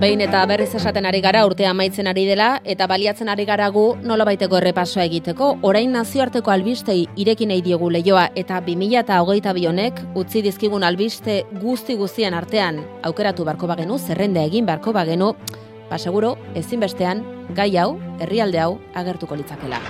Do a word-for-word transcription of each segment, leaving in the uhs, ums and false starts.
behin eta berriz esaten ari gara urtea amaitzen ari dela eta baliatzen ari gara gu nolabaiteko errepasoa egiteko. Orain nazioarteko albistei ireki nahi diegu leioa eta bi mila hogeita bi honek utzi dizkigun albiste guzti guztien artean aukeratu beharko bagenu, zerrenda egin beharko bagenu, ba seguro ezinbestean gai hau, herrialde hau agertuko litzakela.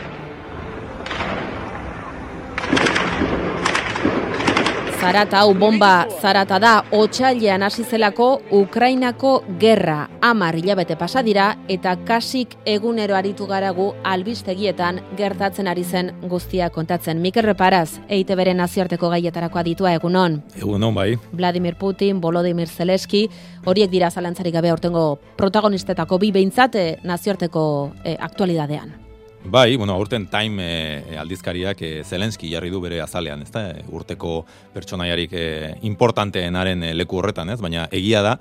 Zarata hau bomba zarata da, otsailean hasi zelako Ukrainako gerra. Hamar hilabete pasa dira eta kasik egunero aritu garagu albistegietan gertatzen ari zen guztia kontatzen. Mikel Reparaz, E I Te Beren nazioarteko gaietarako aditua, egunon. Egunon, bai. Vladimir Putin, Volodymyr Zelensky, horiek dira zalantzarik gabe aurtengo protagonistetako bi behintzat nazioarteko eh, aktualidadean. Bai, bueno, aurten Time e, aldizkariak e, Zelensky jarri du bere azalean, ezta? E, urteko pertsonaiarik e, importanteenaren e, leku horretan, ez? Baina egia da,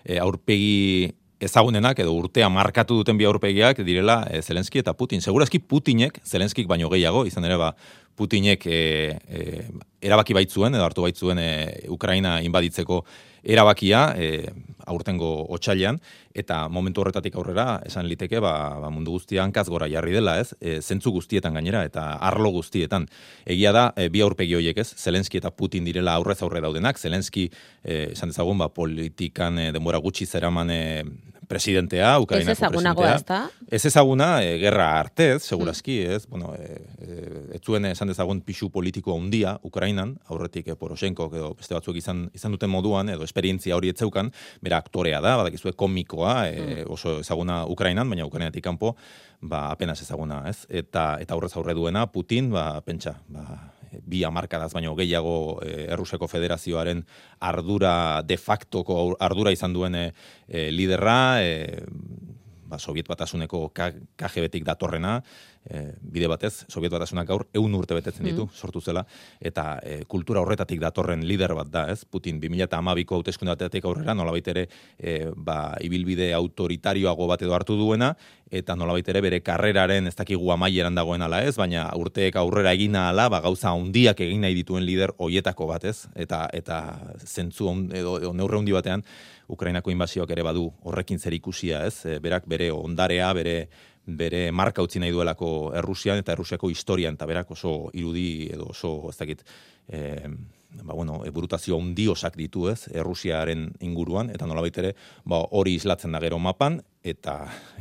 e, aurpegi ezagunenak edo urtea markatu duten bi aurpegiak direla e, Zelensky eta Putin. Segurazki Putinek, Zelenskik baino gehiago, izan ere ba, Putinek e, e, erabaki baitzuen, edo hartu baitzuen e, Ukraina inbaditzeko erabakia e, aurtengo otsailean, eta momentu horretatik aurrera esan liteke ba, ba mundu guztia hankaz gora jarri dela, ez? E, zentzu guztietan gainera eta arlo guztietan. Egia da, e, bi aurpegi horiek, ez? Zelensky eta Putin direla aurrez aurre daudenak. Zelensky e, esan dezagun ba politikan e, denbora gutxi zeraman e, presidentea, Ukrainako presidentea. Ez ezagunagoa, ezta? Ez ezaguna, e, gerra artez, segurazki, ez? Bueno, e, e, ez zuen esan dezagun pixu politiko handia Ukrainan, aurretik e, Poroshenko edo beste batzuk izan izan duten moduan edo esperientzia hori etzeukan, bera aktorea da, badakizue komikoa, e, oso ezaguna Ukrainan, baina Ukrainatik kanpo, ba apenas ezaguna, ez? Eta eta aurrez aurre duena Putin, ba pentsa, ba bi hamarkadaz baino gehiago e, Errusiako Federazioaren ardura de factoko ardura izan duen e, e, liderra, e, ba, Soviet Batasuneko K G B-tik datorrena, e, bide batez, Soviet Batasunak gaur ehun urte betetzen ditu, mm. sortu zela, eta e, kultura horretatik datorren lider bat da, ez? Putin bi mila hamabiko hauteskunde batetik aurrera nolabait ere e, ba, ibilbide autoritarioago bat edo hartu duena, eta nolabait ere bere karreraren ez dakigu amaieran dagoen ala ez, baina urteek aurrera egina ala, ba, gauza handiak egin nahi dituen lider hoietako bat, ez? Eta, eta zentzu on, edo, edo neurre handi batean, Ukrainako inbasioak ere badu horrekin zer ikusia, ez? E, berak bere ondarea, bere bere marka utzi nahi duelako Errusian eta Errusiako historian, eta berak oso irudi edo oso, ez dakit, e, ba, bueno, burutazio handi osak ditu, ez, Errusiaren inguruan, eta nolabait ere, ba, hori islatzen da gero mapan, eta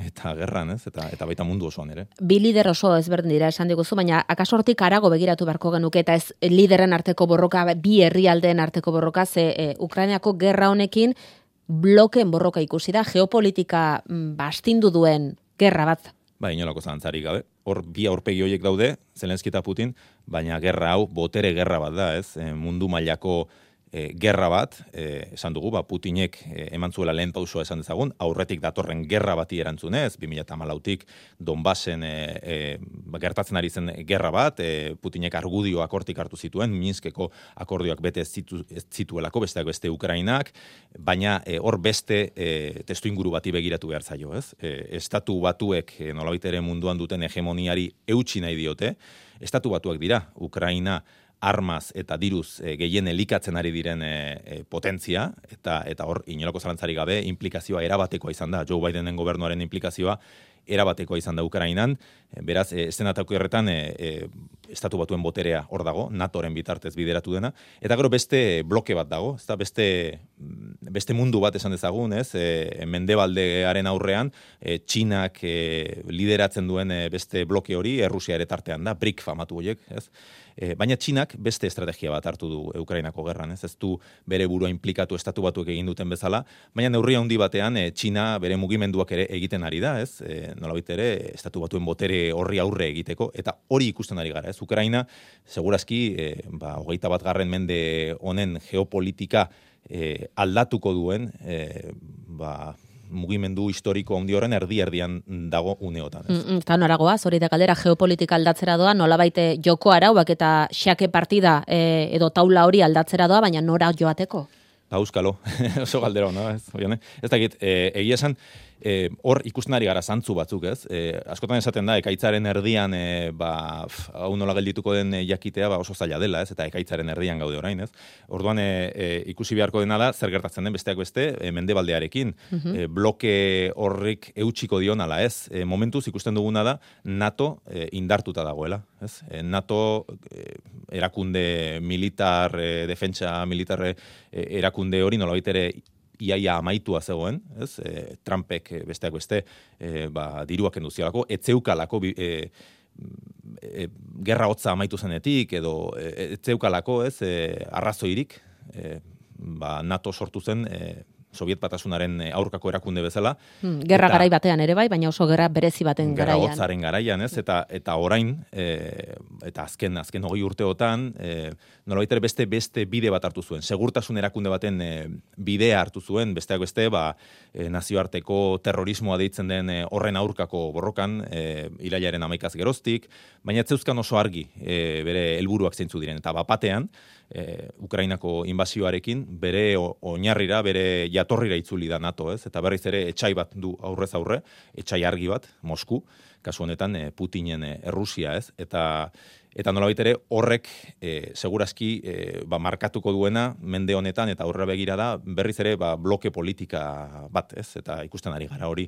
eta gerran, ez, eta eta baita mundu osoan ere. Bi lider oso ezberdin dira esan diguzu, baina akaso hortik harago begiratu beharko genuke, eta ez lideren arteko borroka, bi herrialdeen arteko borroka, ze e, Ukrainako gerra honekin bloken borroka ikusi da, geopolitika bastindu duen gerra bat. Ba, inolako zantzarik gabe. Hor bi aurpegi horiek daude, Zelensky eta Putin, baina gerra hau botere gerra bat da, ez? E, mundu mailako e, gerra bat, e, esan dugu, ba, Putinek e, eman zuela lehen pausua esan dezagun, aurretik datorren gerra bati erantzunez, bi mila hamalautik Donbassen e, e, ba, gertatzen ari zen gerra bat, e, Putinek argudioak hortik hartu zituen, Minskeko akordioak bete ez, zitu, ez zituelako, besteak beste Ukrainak, baina e, hor beste e, testu inguru bati begiratu behar zaio, ez? E, estatu batuek e, nolabait ere munduan duten hegemoniari eutsi nahi diote, estatu batuak dira, Ukraina armaz eta diruz e, gehien elikatzen ari diren e, e, potentzia, eta eta hor inolako zalantzarik gabe implikazioa erabatekoa izan da, Joe Bidenen gobernuaren implikazioa erabatekoa izan da Ukrainan, e, beraz, e, estenatako erretan e, e, estatu batuen boterea hor dago, NATOren bitartez bideratu dena, eta gero beste bloke bat dago, ezta beste, beste mundu bat esan dezagun, ez, e, Mendebaldearen aurrean, e, Txinak e, lideratzen duen e, beste bloke hori, Errusia ere tartean da, BRIC famatu horiek, ez, E, baina Txinak beste estrategia bat hartu du Ukrainako gerran, ez ez du bere burua implikatu estatu batuek egin duten bezala, baina neurri handi batean e, Txina bere mugimenduak ere egiten ari da, ez? E, nolabait ere estatu batuen botere horri aurre egiteko, eta hori ikusten ari gara, ez? Ukraina segurazki e, ba, hogeita bat garren mende honen geopolitika e, aldatuko duen, e, ba, mugimendu historiko handi horren erdi-erdian dago uneotan. Mm, eta noragoa, hori da galdera geopolitika aldatzera doa, nolabait joko arauak eta xake partida e, edo taula hori aldatzera doa, baina nora joateko? Ba, euskalo, oso galdera hona, ez, oian, ez dakit, e, egia esan, hor ikusten ari gara zantzu batzuk, ez? E, askotan esaten da, ekaitzaren erdian, e, ba, hau nola geldituko den jakitea, ba, oso zaila dela, ez? Eta ekaitzaren erdian gaude orain, ez? Orduan, e, e, ikusi beharko dena da, zer gertatzen den besteak beste, e, mendebaldearekin. Uh-huh. e, bloke horrik eutxiko dion ala, ez? E, momentuz ikusten duguna da, NATO e, indartuta dagoela, ez? E, NATO e, erakunde militar, e, defentsa militar e, erakunde hori nolabait ere iaia amaitua zegoen, ez? E, Trumpek besteak beste e, ba, diruak enduzialako, etzeukalako e, e, gerra hotza amaitu zenetik, edo e, etzeukalako, ez, e, arrazoirik, e, ba, NATO sortu zen e, Soviet Batasunaren aurkako erakunde bezala. Hmm, gerra eta, garai batean ere bai, baina oso gerra berezi baten gerra garaian. Gerra hotzaren garaian, ez? Eta, eta orain, e, eta azken, azken hogei urteotan, e, nolabait ere beste, beste bide bat hartu zuen. Segurtasun erakunde baten e, bidea hartu zuen, besteak beste, ba, e, nazioarteko terrorismoa deitzen den e, horren aurkako borrokan, e, irailaren hamaikaz geroztik, baina ez zeuzkan oso argi e, bere helburuak zeintzu diren. Eta bapatean, E, Ukrainako inbazioarekin, bere oinarrira, bere jatorrira itzuli da NATO, ez? Eta berriz ere etxai bat du aurrez aurre, etxai argi bat, Mosku, kasu honetan e, Putinen e, Errusia, ez? Eta eta nolabait ere horrek e, segurazki e, ba, markatuko duena mende honetan eta aurrera begira da berriz ere ba, bloke politika bat, ez? Eta ikusten ari gara hori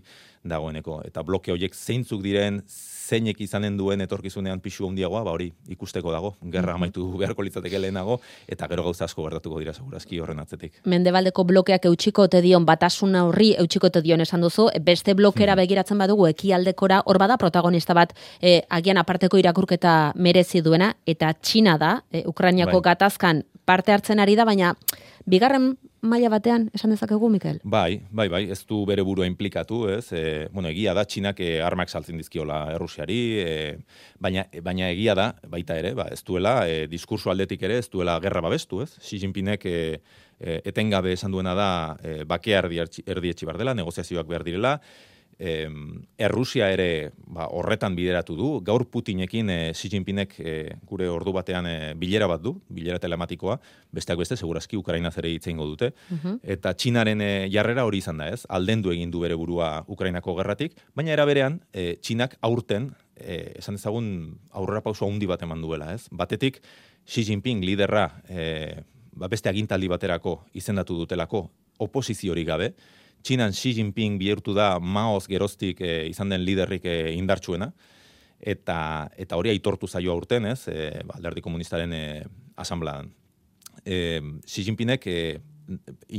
dagoeneko. Eta bloke horiek zeintzuk diren, zeinek izanen duen etorkizunean pixu handiagoa, ba hori ikusteko dago, gerra amaitu beharko litzateke lehenago, eta gero gauza asko gertatuko dira segurazki horren atzetik. Mendebaldeko blokeak eutxiko te dion batasuna horri eutxiko te dion esan duzu, beste blokera begiratzen badugu ekialdekora, hor bada protagonista bat e, agian aparteko irakurketa merezi duena, eta Txina da, e, Ukrainiako bai. Gatazkan parte hartzen ari da, baina bigarren maila batean esan dezakegu, Mikel? Bai, bai, bai, ez du bere burua implikatu, ez? E, bueno, egia da, Txinak e, armak saltzen dizkiola Errusiari, e, baina, baina egia da, baita ere, ba, ez duela, e, diskurso aldetik ere, ez duela gerra babestu, ez? Xi Jinpingek e, e, etengabe esan duena da, e, bakea erdietxi bar dela, negoziazioak behar direla, E, Errusia ere ba, horretan bideratu du. Gaur Putinekin e, Xi Jinpingek e, gure ordu batean e, bilera bat du, bilera telematikoa, besteak beste, segurazki Ukrainaz ere hitz egingo dute. Uh-huh. Eta Txinaren e, jarrera hori izan da, ez? Aldendu egin du bere burua Ukrainako gerratik, baina era berean, e, Txinak aurten, e, esan dezagun aurrera pauso handi bat eman duela, ez? Batetik, Xi Jinping liderra e, ba, beste agintaldi baterako izendatu dutelako oposiziorik gabe, Txinan Xi Jinping bihurtu da Maoz geroztik e, izan den liderrik e, indartsuena, eta, eta hori aitortu zaio aurten, ez, e, ba, Alderdi Komunistaren e, asamblean. E, Xi Jinpingek e,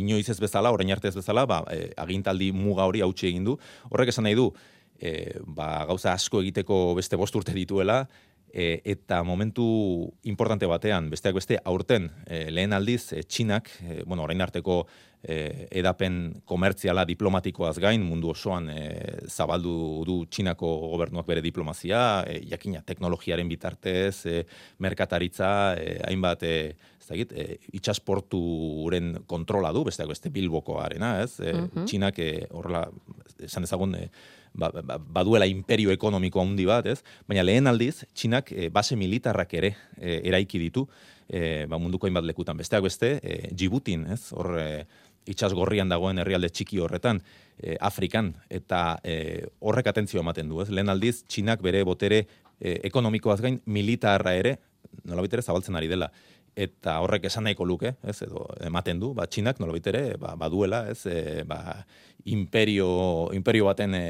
inoiz ez bezala, orain arte ez bezala, ba, e, agintaldi muga hori hautsi egin du. Horrek esan nahi du, e, ba, gauza asko egiteko beste bost urte dituela, E, eta momentu importante batean, besteak beste, aurten e, lehen aldiz, e, Txinak, e, bueno, orain arteko e, edapen komertziala diplomatikoaz gain, mundu osoan e, zabaldu du Txinako gobernuak bere diplomazia, e, jakina teknologiaren bitartez, e, merkataritza, e, hainbat, e, ez da egit, e, itxasporturen kontrola du, besteak beste Bilbokoarena, ez? E, uh-huh. Txinak e, horrela, esan dezagun, e, Ba, ba, baduela imperio ekonomiko handi bat, ez? Baina lehen aldiz, Txinak e, base militarrak ere e, eraiki ditu, e, ba, munduko hainbat lekutan. Besteak beste, e, Djiboutin, ez? Hor, e, itsas gorrian dagoen herrialde txiki horretan, e, Afrikan, eta e, horrek atentzio ematen du, ez? Lehen aldiz, Txinak bere botere e, ekonomikoaz gain militarra ere, nolabait ere zabaltzen ari dela. Eta horrek esan nahiko luke, ez, edo ematen du, ba, Txinak nolabait ere ba, baduela, ez, e, ba, imperio, imperio baten e,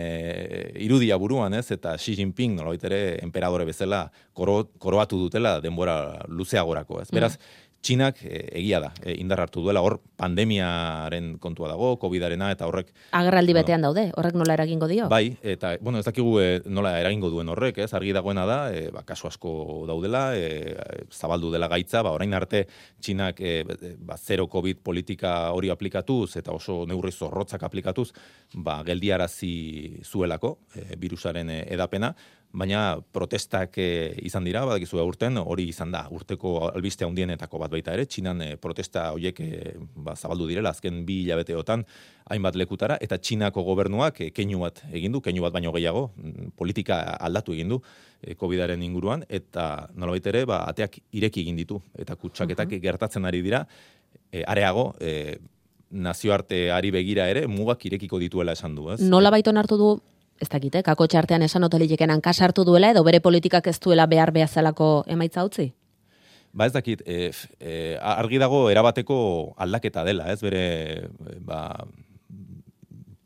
irudia buruan, ez, eta Xi Jinping nolabait ere enperadore bezala koro, koroatu dutela denbora luzeagorako, ez. Beraz, mm. Txinak e, egia da, e, indar hartu duela, hor pandemiaren kontua dago, covidarena, eta horrek... Agerraldi bueno, betean daude, horrek nola eragingo dio? Bai, eta, bueno, ez dakigu e, nola eragingo duen horrek, ez, argi dagoena da, e, ba, kasu asko daudela, e, zabaldu dela gaitza, ba, orain arte Txinak e, ba, zero COVID politika hori aplikatuz, eta oso neurri zorrotzak aplikatuz, ba, geldiarazi zuelako, e, virusaren e, edapena, baina protestak e, izan dira, badakizu aurten, hori izan da, urteko albiste handienetako bat baita ere, Txinan e, protesta horiek e, ba, zabaldu direla, azken bi hilabeteotan hainbat lekutara, eta Txinako gobernuak e, keinu bat egin du, keinu bat baino gehiago, politika aldatu egin du e, covidaren inguruan, eta nolabait ere, ba, ateak ireki egin ditu, eta kutsaketak uh-huh. gertatzen ari dira, e, areago, e, nazioarteari begira ere mugak irekiko dituela esan du, ez? Nola baiton hartu du, ez dakite, kakotxe artean esan otelileken hankasartu duela, edo bere politikak ez duela behar behazalako emaitza utzi? Ba ez dakit, e, e, argi dago erabateko aldaketa dela, ez bere ba,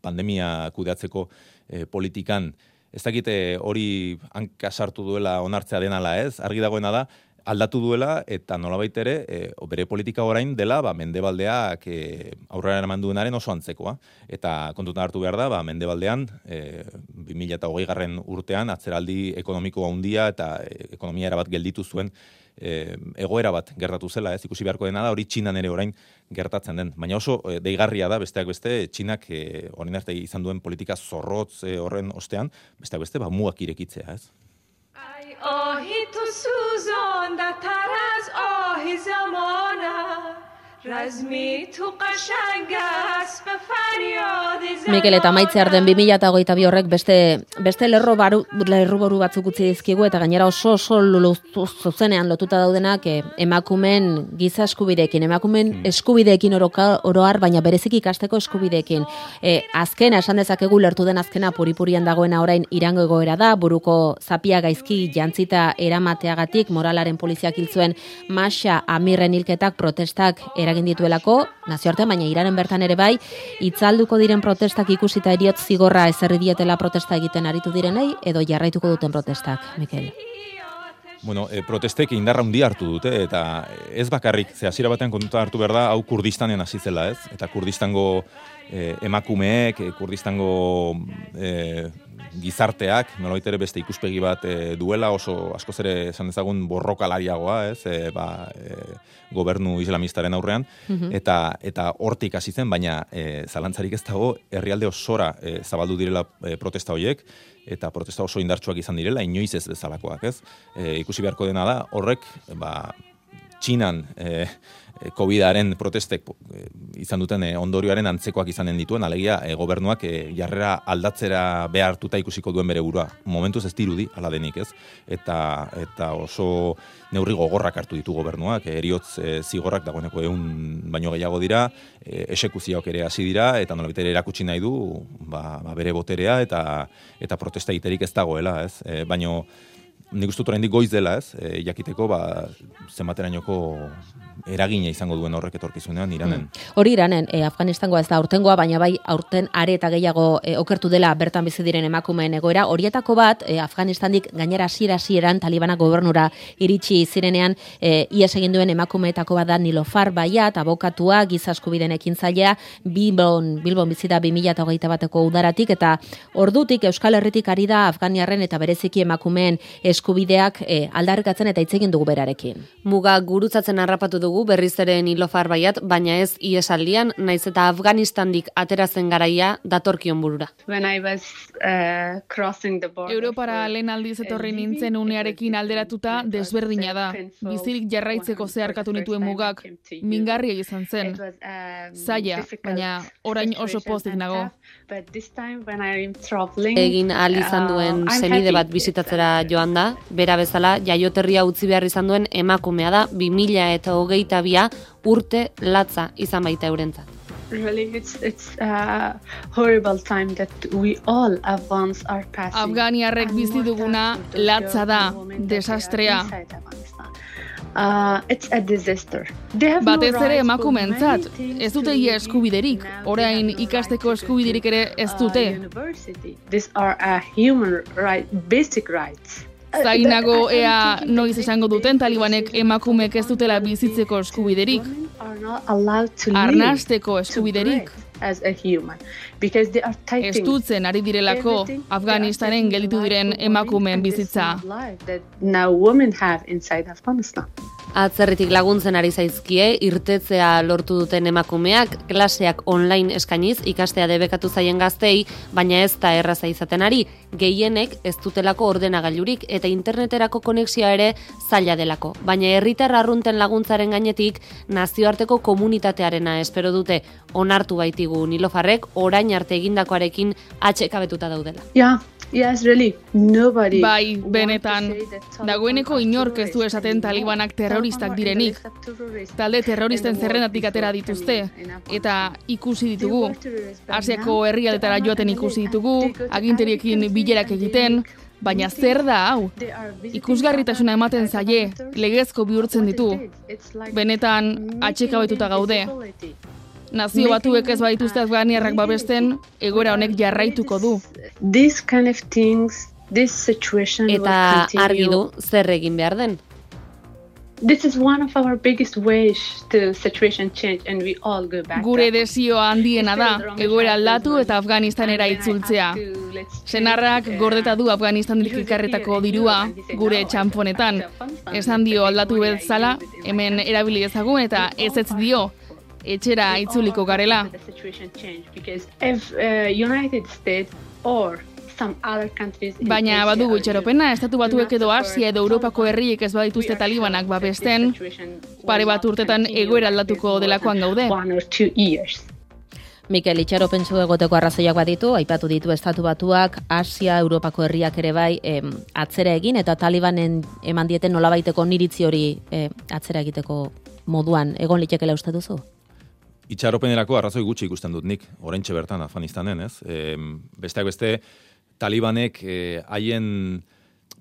pandemia kudeatzeko e, politikan, ez dakite hori hanka sartu duela onartzea denala ez, argi dagoena da, aldatu duela eta nolabait ere e, bere politika orain dela ba, mendebaldeak e, aurrera eraman duenaren oso antzekoa. Eta kontutan hartu behar da, ba, mendebaldean e, bi mila hogei garren urtean atzeraldi ekonomiko handia eta e, ekonomia erabat gelditu zuen E, egoera bat gertatu zela, ez ikusi beharko dena da, hori Txinan ere orain gertatzen den. Baina oso e, deigarria da, besteak beste, Txinak e, orain arte izan duen politika zorrotz e, horren ostean, besteak beste, ba, mugak irekitzea, ez? Ai, ohi tu suzon da taraz ohi zamona Razmi tu qashangas be faryadi zamona Mikel, eta maitzear den bi mila hogeita bi horrek beste, beste lerro baru, lerro baru batzuk utzi dizkigu eta gainera oso oso zuzenean lotuta daudenak eh, emakumen giza eskubideekin, emakumen eskubideekin oroka, oroar, baina berezik ikasteko eskubideekin. Eh, azkena, esan dezakegu lertu den azkena puripurian dagoena orain Irango egoera da, buruko zapia gaizki jantzita eramateagatik moralaren poliziak hil zuen Masha Amirren hilketak protestak eragin dituelako, nazioartean, baina Iranen bertan ere bai, itzalduko diren protestak ikusita eriotz zigorra ezerri dietela protesta egiten aritu direnei, edo jarraituko duten protestak, Mikel? Bueno, e, protestek indarra handia hartu dute, eta ez bakarrik, ze hasiera batean kontuta hartu behar da, hau Kurdistanen hasi zela, ez? Eta Kurdistango e, emakumeek, e, Kurdistango e, gizarteak, nolabait ere beste ikuspegi bat e, duela, oso askoz ere esan dezagun borrokalariagoa, ez? E, ba, e, gobernu islamistaren aurrean, mm-hmm. eta eta hortik hasi zen, baina e, zalantzarik ez dago, herrialde osora e, zabaldu direla e, protesta horiek, eta protesta oso indartsuak izan direla, inoiz ez bezalakoak, ez? E, ikusi beharko dena da, horrek, ba, Txinan e, COVIDaren protestek e, izan duten e, ondorioaren antzekoak izanen dituen, alegia e, gobernuak e, jarrera aldatzera behartuta ikusiko duen bere burua. Momentuz ez dirudi, ala denik, ez? Eta, eta oso neurri gogorrak hartu ditu gobernuak, e, eriotz e, zigorrak dagoeneko ehun baino gehiago dira, e, esekuzioak ere hasi dira, eta nolabait ere erakutsi nahi du ba, ba bere boterea eta, eta protesta egiterik ez dagoela, ez? E, baino nik uste dut oraindik goiz dela, ez? E, jakiteko ba zenbaterainoko eragina izango duen horrek etorkizunean Iranen. Hmm. Hori Iranen, e, Afganistangoa ez da aurtengoa, baina bai aurten are eta gehiago e, okertu dela bertan bizi diren emakumeen egoera. Horietako bat, e, Afganistandik gainera hasiera hasieran Talibanak gobernura iritsi zirenean, e, ihes egin duen emakumeetako bat da Nilofar Bayat, abokatua, giza eskubideen ekintzailea, Bilbon, Bilbon bizi da bi mila hogeita bateko udaratik, eta ordutik Euskal Herritik ari da Afganiarren eta bereziki emakumeen eskubideak e, aldarrikatzen eta hitz egin dugu berarekin. Muga gurutzatzen harrapatu dugu berriz ere Nilofar Bayat, baina ez iesaldian, naiz eta Afganistandik ateratzen garaia datorkion burura. When I was uh, crossing the border. Europara lehen aldiz etorri nintzen unearekin alderatuta desberdina da. Bizirik jarraitzeko zeharkatu nituen mugak, mingarria izan zen. Zaila, baina orain oso pozik nago. Egin ahal izan duen senide bat bizitatzera joan da, bera bezala jaioterria utzi behar izan duen emakumea da, bi mila eta hogeita bia urte latza izan baita eurentzat. Really, it's, it's a horrible time that we all at once are passing. Afganiarrek bizi duguna latza da, desastrea. Uh, it's a disaster. Batez ere emakumeentzat, ez dute ia eskubiderik, orain ikasteko eskubiderik ere ez dute. These are a human right, basic rights. Zainago ea noiz esango duten Talibanek emakumeek ez dutela bizitzeko eskubiderik, arnasteko eskubiderik. Estutzen ari direlako Afganistanen gelditu diren emakumeen bizitza. Atzerritik laguntzen ari zaizkie, irtetzea lortu duten emakumeak, klaseak online eskainiz ikastea debekatu zaien gaztei, baina ez da erraza izaten ari, gehienek ez dutelako ordenagailurik eta interneterako konexioa ere zaila delako. Baina herritar arrunten laguntzaren gainetik nazioarteko komunitatearena espero dute, onartu baitigu Nilofarrek orain arte egindakoarekin atxekabetuta daudela. Yeah. Yes, really. Nobody. Bai, benetan, dagoeneko inork ez du esaten talibanak terroristak direnik. Talde terroristen zerrendatik atera dituzte, eta ikusi ditugu. Asiako herrialdetara joaten ikusi ditugu, aginteriekin bilerak egiten, baina zer da hau? Ikusgarritasuna ematen zaie, legezko bihurtzen ditu. Benetan, atxekabetuta gaude. Nazio batuek ez badituzte afganiarrak babesten, egoera honek jarraituko du. Eta argi du zer egin behar den. This is one of our biggest ways to situation change and we all go back. Gure desioa handiena da, egoera aldatu eta Afganistanera itzultzea. Senarrak gordeta du Afganistanik ikarretako dirua gure txanponetan. Esan dio aldatu bezala, hemen erabili ezagun eta ez ez dio. Etxera itzuliko garela. If uh, United States or Baina badugu itxaropena, estatu batuek edo Asia edo Europako herriek ez badituzte talibanak babesten, pare bat urtetan egoera aldatuko delakoan gaude. Mikel, itxaropentsu egoteko arrazoiak baditu, aipatu ditu estatu batuak, Asia, Europako herriak ere bai em, atzera egin, eta talibanen eman dieten nolabaiteko niritzi hori eh, atzera egiteko moduan egon litekela uste duzu? Itxaropenerako arrazoi gutxi ikusten dut nik, oraintxe bertan Afganistanen, ez? E, besteak beste, talibanek haien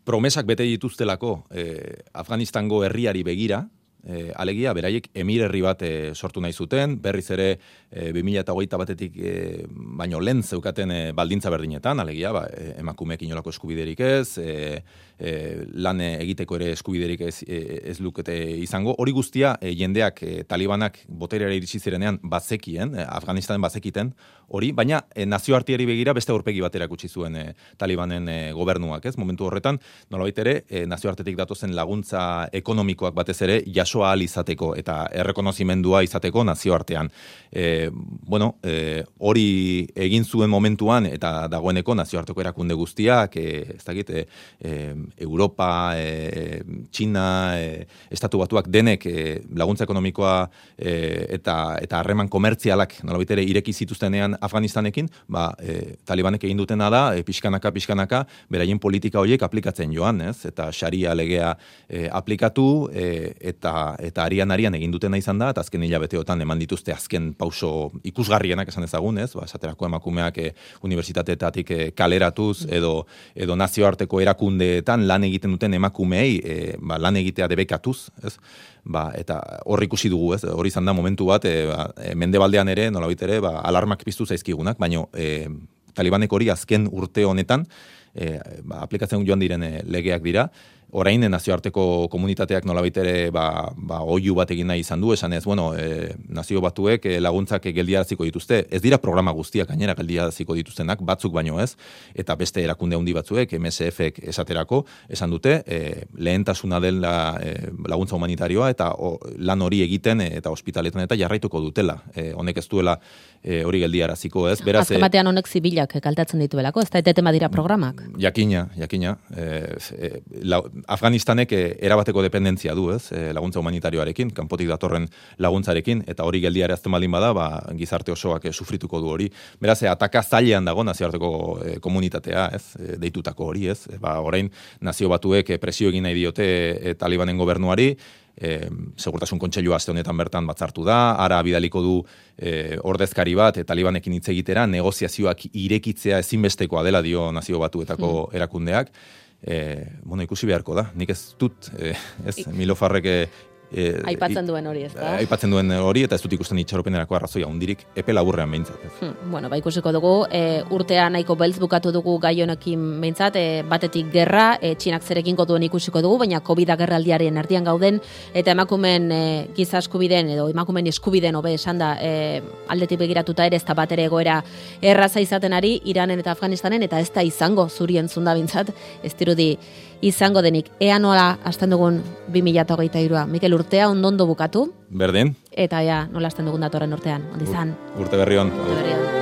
promesak bete dituztelako eh, Afganistango herriari begira, eh, alegia, beraiek emir herri bat eh, sortu nahi zuten, berriz ere eh, bi mila hogeita batetik eh, baino lehen zeukaten eh, baldintza berdinetan, alegia, ba, eh, emakumeek inolako eskubiderik ez, eh, eh, lan egiteko ere eskubiderik ez, eh, ez lukete izango. Hori guztia eh, jendeak eh, talibanak boterera iritsi zirenean bazekien, eh, Afganistanen bazekiten, hori, baina eh, nazioarteari begira beste aurpegi bat erakutsi zuen eh, talibanen eh, gobernuak, ez? Momentu horretan, nolabait ere, eh, nazioartetik datozen laguntza ekonomikoak batez ere jasoa ahal izateko eta errekonozimendua izateko nazioartean. Eh, bueno, eh, hori egin zuen momentuan eta dagoeneko nazioarteko erakunde guztiak, eh, ez dakit, eh, Europa, eh, China, eh, Estatu Batuak denek eh, laguntza ekonomikoa eh, eta eta harreman komertzialak nolabait ere ireki zituztenean Afganistanekin, ba, eh, talibanek egin dutena da, eh, pixkanaka, pixkanaka, beraien politika horiek aplikatzen joan, ez? Eta sharia legea eh, aplikatu, eh, eta eta arian arian egin dutena izan da, eta azken hilabeteotan eman dituzte azken pauso ikusgarrienak esan ezagun, ez? Ba, esaterako emakumeak eh, unibertsitateetatik eh, kaleratuz, edo, edo nazioarteko erakundeetan lan egiten duten emakumeei eh, ba, lan egitea debekatuz, ez? Ba, eta hor ikusi dugu, ez? Hori izan da momentu bat, e, ba, e, mendebaldean ere, nolabait ere, ba, alarmak piztu zaizkigunak, baina e, talibanek hori azken urte honetan e, ba, aplikatzen joan diren e, legeak dira. Orain nazioarteko komunitateak nolabait ere ba, ba, oihu bat egin nahi izan du, esan ez, bueno, e, nazio batuek e, laguntzak geldiaraziko dituzte. Ez dira programa guztiak gainera geldiaraziko dituztenak, batzuk baino ez, eta beste erakunde handi batzuek, M S F-ek esaterako, esan dute, e, lehentasuna dela e, laguntza humanitarioa, eta o, lan hori egiten e, eta ospitaletan eta jarraituko dutela. E, honek ez duela e, hori geldiaraziko, ez? Beraz, azken batean honek zibilak kaltatzen dituelako, ez da eteten badira programak. Jakina, jakina. E, e, la, Afganistanek erabateko dependentzia du, ez, laguntza humanitarioarekin, kanpotik datorren laguntzarekin, eta hori geldiarazten baldin bada, ba, gizarte osoak sufrituko du hori. Beraz, ataka zailean dago nazioarteko komunitatea, ez, deitutako hori, ez. Ba, orain nazio batuek presio egin nahi diote e, talibanen gobernuari, E, segurtasun kontseilua aste honetan bertan batzartu da, ara bidaliko du e, ordezkari bat, e, talibanekin hitz egitera, negoziazioak irekitzea ezinbestekoa dela dio nazio batuetako mm. erakundeak. E, bueno, ikusi beharko da, nik ez dut, e, ez, Milofarrek e, E, aipatzen duen hori, ez da? Aipatzen duen hori, eta ez dut ikusten itxaropenerako arrazoia hundirik epe laburrean behintzat. Hmm, bueno, ba ikusiko dugu, e, urtea nahiko beltz bukatu dugu gai honekin behintzat, e, batetik gerra, e, Txinak zerekingo duen ikusiko dugu, baina COVID gerraldiaren erdian gauden, eta emakumen e, giza eskubiden, edo emakumen eskubiden hobe esan da, e, aldetik begiratuta ere, ez da bat ere egoera erraza izaten ari, Iranen eta Afganistanen, eta ez da izango zurien zunda behintzat, ez dirudi izango denik. Ea nola hasten dugun bi mila hogeita hirua. Mikel, urtea ondondo bukatu. Berdin. Eta ja, nola hasten dugun datorren urtean. Ondizan. Urte berri on. Urte berri on.